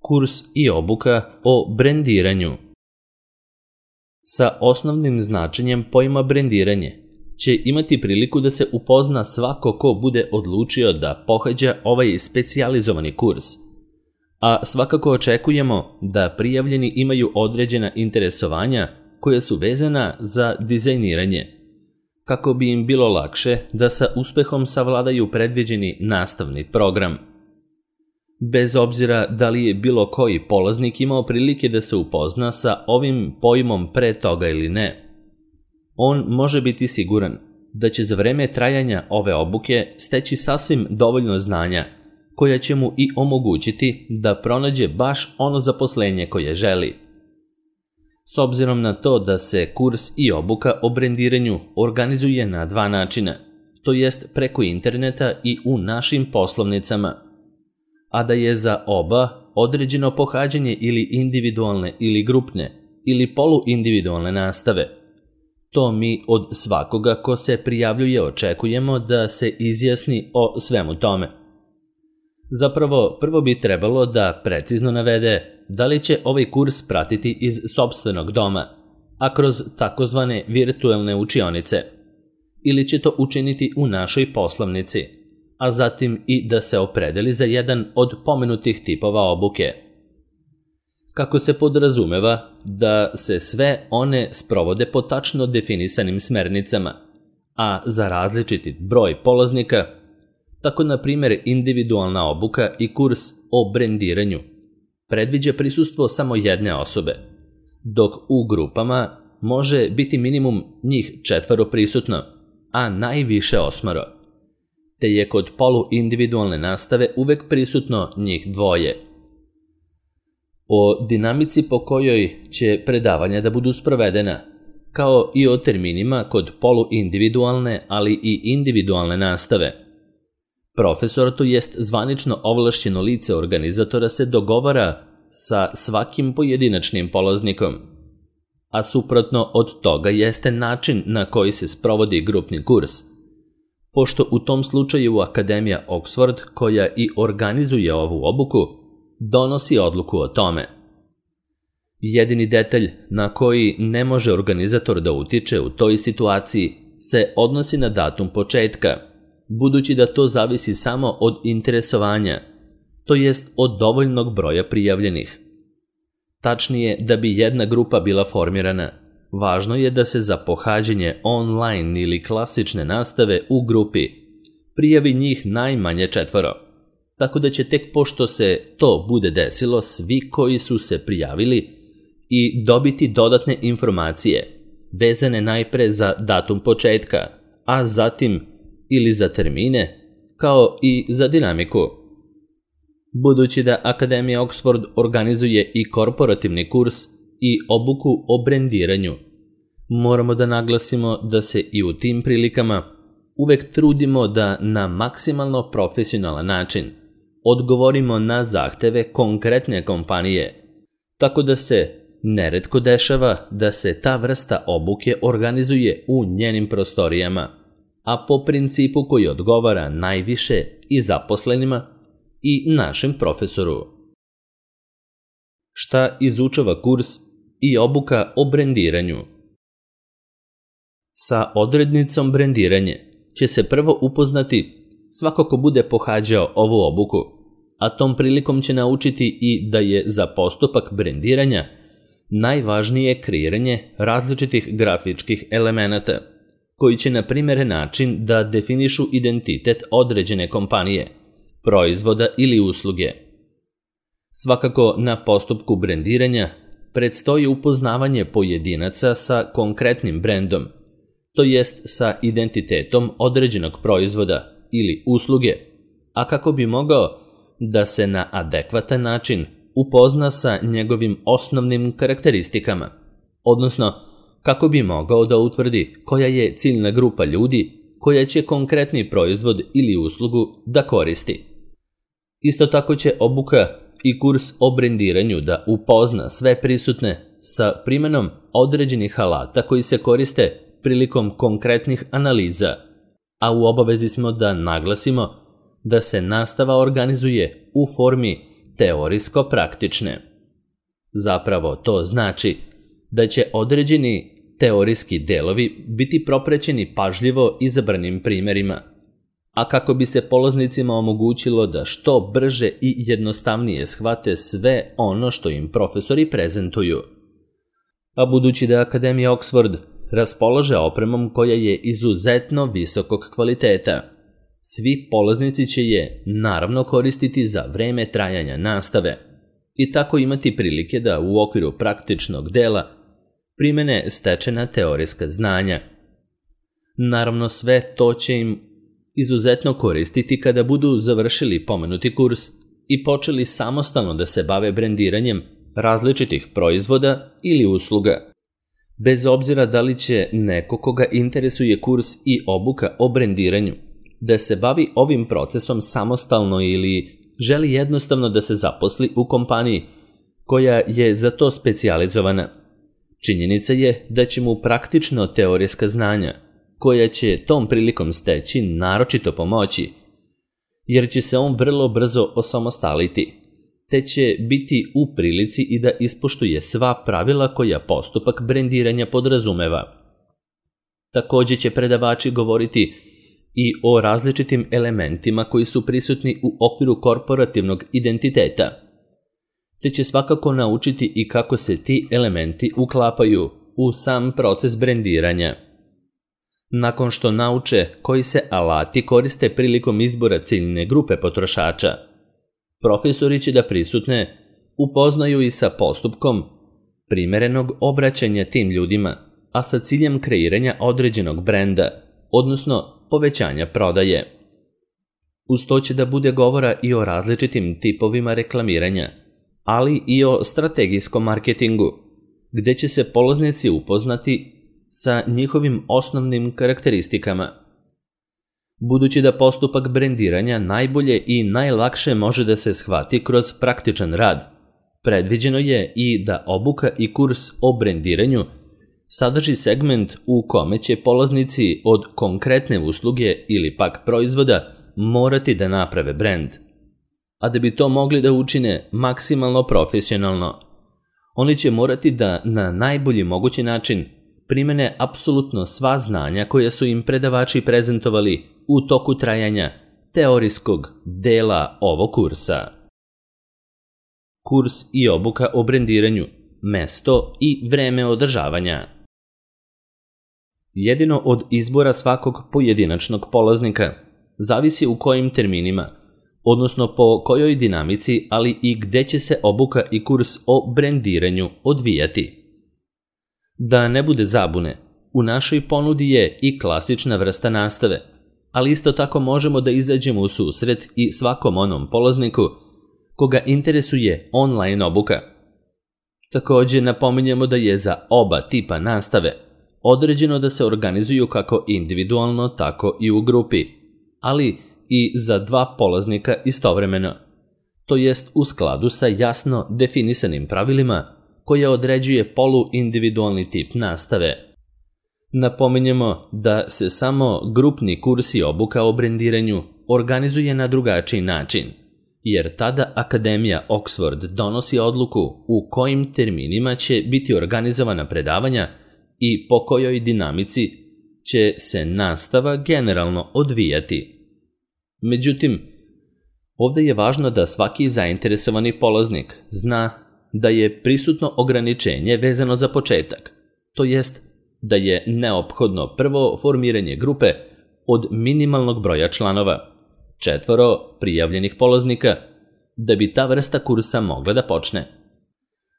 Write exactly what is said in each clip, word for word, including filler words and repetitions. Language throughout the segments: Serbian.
Kurs i obuka o brendiranju. Sa osnovnim značenjem pojma brendiranje će imati priliku da se upozna svako ko bude odlučio da pohađa ovaj specijalizovani kurs, a svakako očekujemo da prijavljeni imaju određena interesovanja koja su vezana za dizajniranje, kako bi im bilo lakše da sa uspehom savladaju predviđeni nastavni program. Bez obzira da li je bilo koji polaznik imao prilike da se upozna sa ovim pojmom pre toga ili ne, on može biti siguran da će za vreme trajanja ove obuke steći sasvim dovoljno znanja koja će mu i omogućiti da pronađe baš ono zaposlenje koje želi. S obzirom na to da se kurs i obuka o brendiranju organizuje na dva načina, to jest preko interneta i u našim poslovnicama, a da je za oba određeno pohađanje ili individualne ili grupne ili poluindividualne nastave, to mi od svakoga ko se prijavljuje očekujemo da se izjasni o svemu tome. Zapravo, prvo bi trebalo da precizno navede da li će ovaj kurs pratiti iz sopstvenog doma, a kroz takozvane virtuelne učionice, ili će to učiniti u našoj poslovnici, a zatim i da se opredeli za jedan od pomenutih tipova obuke. Kako se podrazumeva da se sve one sprovode po tačno definisanim smernicama, a za različiti broj polaznika, tako na primjer individualna obuka i kurs o brendiranju predviđa prisustvo samo jedne osobe, dok u grupama može biti minimum njih četvoro prisutno, a najviše osmoro, te je kod poluindividualne nastave uvek prisutno njih dvoje. O dinamici po kojoj će predavanja da budu sprovedena, kao i o terminima kod poluindividualne, ali i individualne nastave, profesor, to jest zvanično ovlašćeno lice organizatora, se dogovara sa svakim pojedinačnim polaznikom, a suprotno od toga jeste način na koji se sprovodi grupni kurs, pošto u tom slučaju Akademija Oxford, koja i organizuje ovu obuku, donosi odluku o tome. Jedini detalj na koji ne može organizator da utiče u toj situaciji se odnosi na datum početka, budući da to zavisi samo od interesovanja, to jest od dovoljnog broja prijavljenih. Tačnije, da bi jedna grupa bila formirana, važno je da se za pohađanje online ili klasične nastave u grupi prijavi njih najmanje četvoro, tako da će tek pošto se to bude desilo svi koji su se prijavili i dobiti dodatne informacije, vezane najpre za datum početka, a zatim ili za termine, kao i za dinamiku. Budući da Akademija Oxford organizuje i korporativni kurs i obuku o brendiranju, moramo da naglasimo da se i u tim prilikama uvek trudimo da na maksimalno profesionalan način odgovorimo na zahteve konkretne kompanije, tako da se neretko dešava da se ta vrsta obuke organizuje u njenim prostorijama, a po principu koji odgovara najviše i zaposlenima i našem profesoru. Šta izučava kurs i obuka o brendiranju? Sa odrednicom brendiranje će se prvo upoznati svako ko bude pohađao ovu obuku, a tom prilikom će naučiti i da je za postupak brendiranja najvažnije kreiranje različitih grafičkih elemenata, koji će na primjeren način da definišu identitet određene kompanije, proizvoda ili usluge. Svakako na postupku brendiranja predstoji upoznavanje pojedinaca sa konkretnim brendom, to jest sa identitetom određenog proizvoda ili usluge, a kako bi mogao da se na adekvatan način upozna sa njegovim osnovnim karakteristikama, odnosno kako bi mogao da utvrdi koja je ciljna grupa ljudi koja će konkretni proizvod ili uslugu da koristi. Isto tako će obuka i kurs o brendiranju da upozna sve prisutne sa primenom određenih alata koji se koriste prilikom konkretnih analiza, a u obavezi smo da naglasimo da se nastava organizuje u formi teorijsko-praktične. Zapravo to znači da će određeni teorijski delovi biti propraćeni pažljivo izabranim primjerima, a kako bi se polaznicima omogućilo da što brže i jednostavnije shvate sve ono što im profesori prezentuju. A budući da Akademija Oxford raspolaže opremom koja je izuzetno visokog kvaliteta, svi polaznici će je naravno koristiti za vreme trajanja nastave i tako imati prilike da u okviru praktičnog dela primene stečena teorijska znanja. Naravno, sve to će im izuzetno koristiti kada budu završili pomenuti kurs i počeli samostalno da se bave brendiranjem različitih proizvoda ili usluga. Bez obzira da li će neko koga interesuje kurs i obuka o brendiranju da se bavi ovim procesom samostalno ili želi jednostavno da se zaposli u kompaniji koja je za to specijalizovana, činjenica je da će mu praktično teorijska znanja koja će tom prilikom steći naročito pomoći, jer će se on vrlo brzo osamostaliti, te će biti u prilici i da ispoštuje sva pravila koja postupak brendiranja podrazumeva. Također će predavači govoriti i o različitim elementima koji su prisutni u okviru korporativnog identiteta, te će svakako naučiti i kako se ti elementi uklapaju u sam proces brendiranja. Nakon što nauče koji se alati koriste prilikom izbora ciljne grupe potrošača, profesori će da prisutne upoznaju i sa postupkom primerenog obraćanja tim ljudima, a sa ciljem kreiranja određenog brenda, odnosno povećanja prodaje. Uz to će da bude govora i o različitim tipovima reklamiranja, ali i o strategijskom marketingu, gdje će se polaznici upoznati sa njihovim osnovnim karakteristikama. Budući da postupak brendiranja najbolje i najlakše može da se shvati kroz praktičan rad, predviđeno je i da obuka i kurs o brendiranju sadrži segment u kome će polaznici od konkretne usluge ili pak proizvoda morati da naprave brend. A da bi to mogli da učine maksimalno profesionalno, oni će morati da na najbolji mogući način primene apsolutno sva znanja koja su im predavači prezentovali u toku trajanja teorijskog dela ovog kursa. Kurs i obuka o brendiranju, mesto i vreme održavanja. Jedino od izbora svakog pojedinačnog polaznika zavisi u kojim terminima, odnosno po kojoj dinamici, ali i gde će se obuka i kurs o brendiranju odvijati. Da ne bude zabune, u našoj ponudi je i klasična vrsta nastave, ali isto tako možemo da izađemo u susret i svakom onom polazniku koga interesuje online obuka. Također napominjemo da je za oba tipa nastave određeno da se organizuju kako individualno, tako i u grupi, ali i za dva polaznika istovremeno, to jest u skladu sa jasno definisanim pravilima koja određuje poluindividualni tip nastave. Napominjemo da se samo grupni kurs i obuka o brendiranju organizuje na drugačiji način, jer tada Akademija Oxford donosi odluku u kojim terminima će biti organizovana predavanja i po kojoj dinamici će se nastava generalno odvijati. Međutim, ovdje je važno da svaki zainteresovani polaznik zna da je prisutno ograničenje vezano za početak, to jest da je neophodno prvo formiranje grupe od minimalnog broja članova, četvoro prijavljenih polaznika, da bi ta vrsta kursa mogla da počne.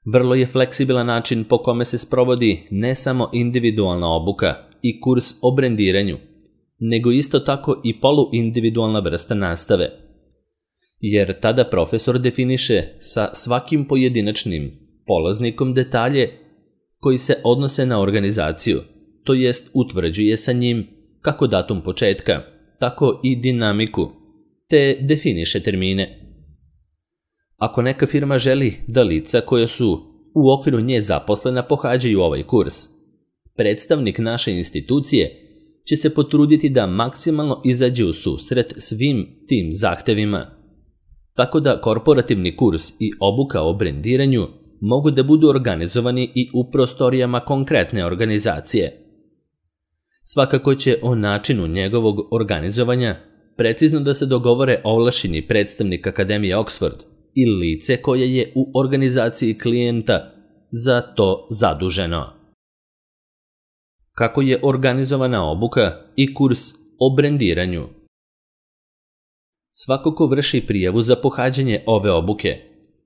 Vrlo je fleksibilan način po kome se sprovodi ne samo individualna obuka i kurs o brendiranju, nego isto tako i poluindividualna vrsta nastave, jer tada profesor definiše sa svakim pojedinačnim polaznikom detalje koji se odnose na organizaciju, to jest utvrđuje sa njim kako datum početka, tako i dinamiku, te definiše termine. Ako neka firma želi da lica koja su u okviru nje zaposlena pohađaju ovaj kurs, predstavnik naše institucije će se potruditi da maksimalno izađe u susret svim tim zahtevima. tako da korporativni kurs i obuka o brendiranju mogu da budu organizovani i u prostorijama konkretne organizacije. Svakako će o načinu njegovog organizovanja precizno da se dogovore ovlašćeni predstavnik Akademije Oxford i lice koje je u organizaciji klijenta za to zaduženo. Kako je organizovana obuka i kurs o brendiranju? Svako ko vrši prijavu za pohađanje ove obuke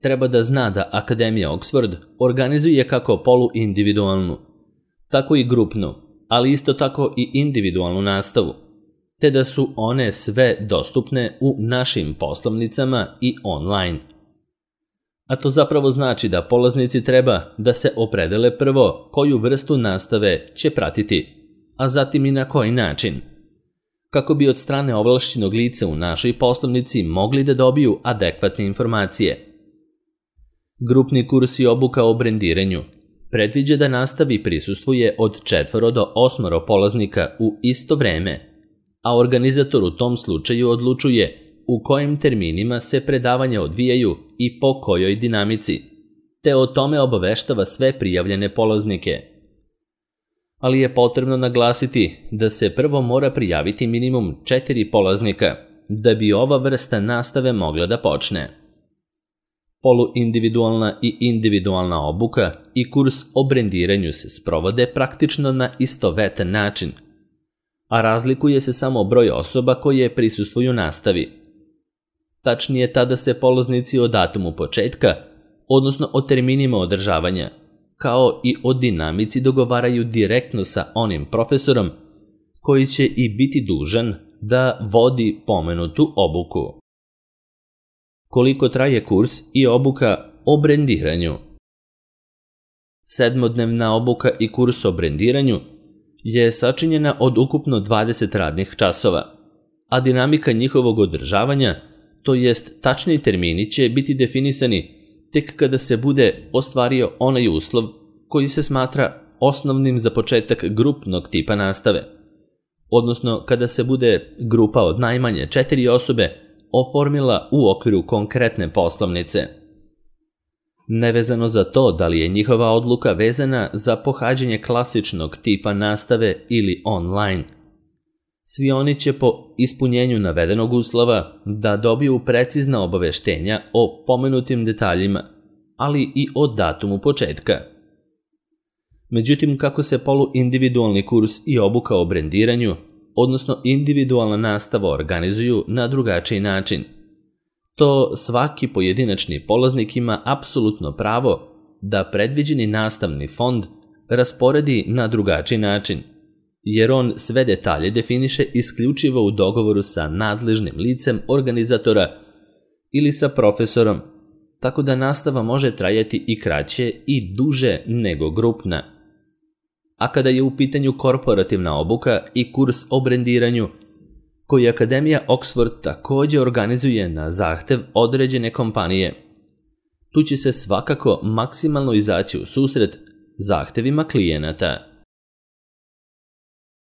treba da zna da Akademija Oxford organizuje kako poluindividualnu, tako i grupnu, ali isto tako i individualnu nastavu, te da su one sve dostupne u našim poslovnicama i online. A to zapravo znači da polaznici treba da se opredele prvo koju vrstu nastave će pratiti, a zatim i na koji način, kako bi od strane ovlašćenog lica u našoj poslovnici mogli da dobiju adekvatne informacije. Grupni kurs i obuka o brendiranju predviđa da nastavi prisustvuje od četvoro do osmoro polaznika u isto vreme, a organizator u tom slučaju odlučuje u kojim terminima se predavanja odvijaju i po kojoj dinamici, te o tome obaveštava sve prijavljene polaznike. Ali je potrebno naglasiti da se prvo mora prijaviti minimum četiri polaznika da bi ova vrsta nastave mogla da počne. Poluindividualna i individualna obuka i kurs o brendiranju se sprovode praktično na istovetan način, a razlikuje se samo broj osoba koje prisustvuju nastavi. Tačnije, tada se polaznici o datumu početka, odnosno o terminima održavanja, kao i o dinamici dogovaraju direktno sa onim profesorom koji će i biti dužan da vodi pomenutu obuku. Koliko traje kurs i obuka o brendiranju? Sedmodnevna obuka i kurs o brendiranju je sačinjena od ukupno dvadeset radnih časova, a dinamika njihovog održavanja, to jest tačni termini, će biti definisani tek kada se bude ostvario onaj uslov koji se smatra osnovnim za početak grupnog tipa nastave, odnosno kada se bude grupa od najmanje četiri osobe oformila u okviru konkretne poslovnice. Nevezano za to da li je njihova odluka vezana za pohađanje klasičnog tipa nastave ili online, svi oni će po ispunjenju navedenog uslova da dobiju precizna obaveštenja o pomenutim detaljima, ali i o datumu početka. Međutim, kako se poluindividualni kurs i obuka o brendiranju, odnosno individualna nastava, organizuju na drugačiji način, to svaki pojedinačni polaznik ima apsolutno pravo da predviđeni nastavni fond rasporedi na drugačiji način, jer on sve detalje definiše isključivo u dogovoru sa nadležnim licem organizatora ili sa profesorom, tako da nastava može trajati i kraće i duže nego grupna. A kada je u pitanju korporativna obuka i kurs o brendiranju, koji Akademija Oxford također organizuje na zahtev određene kompanije, tu će se svakako maksimalno izaći u susret zahtevima klijenata.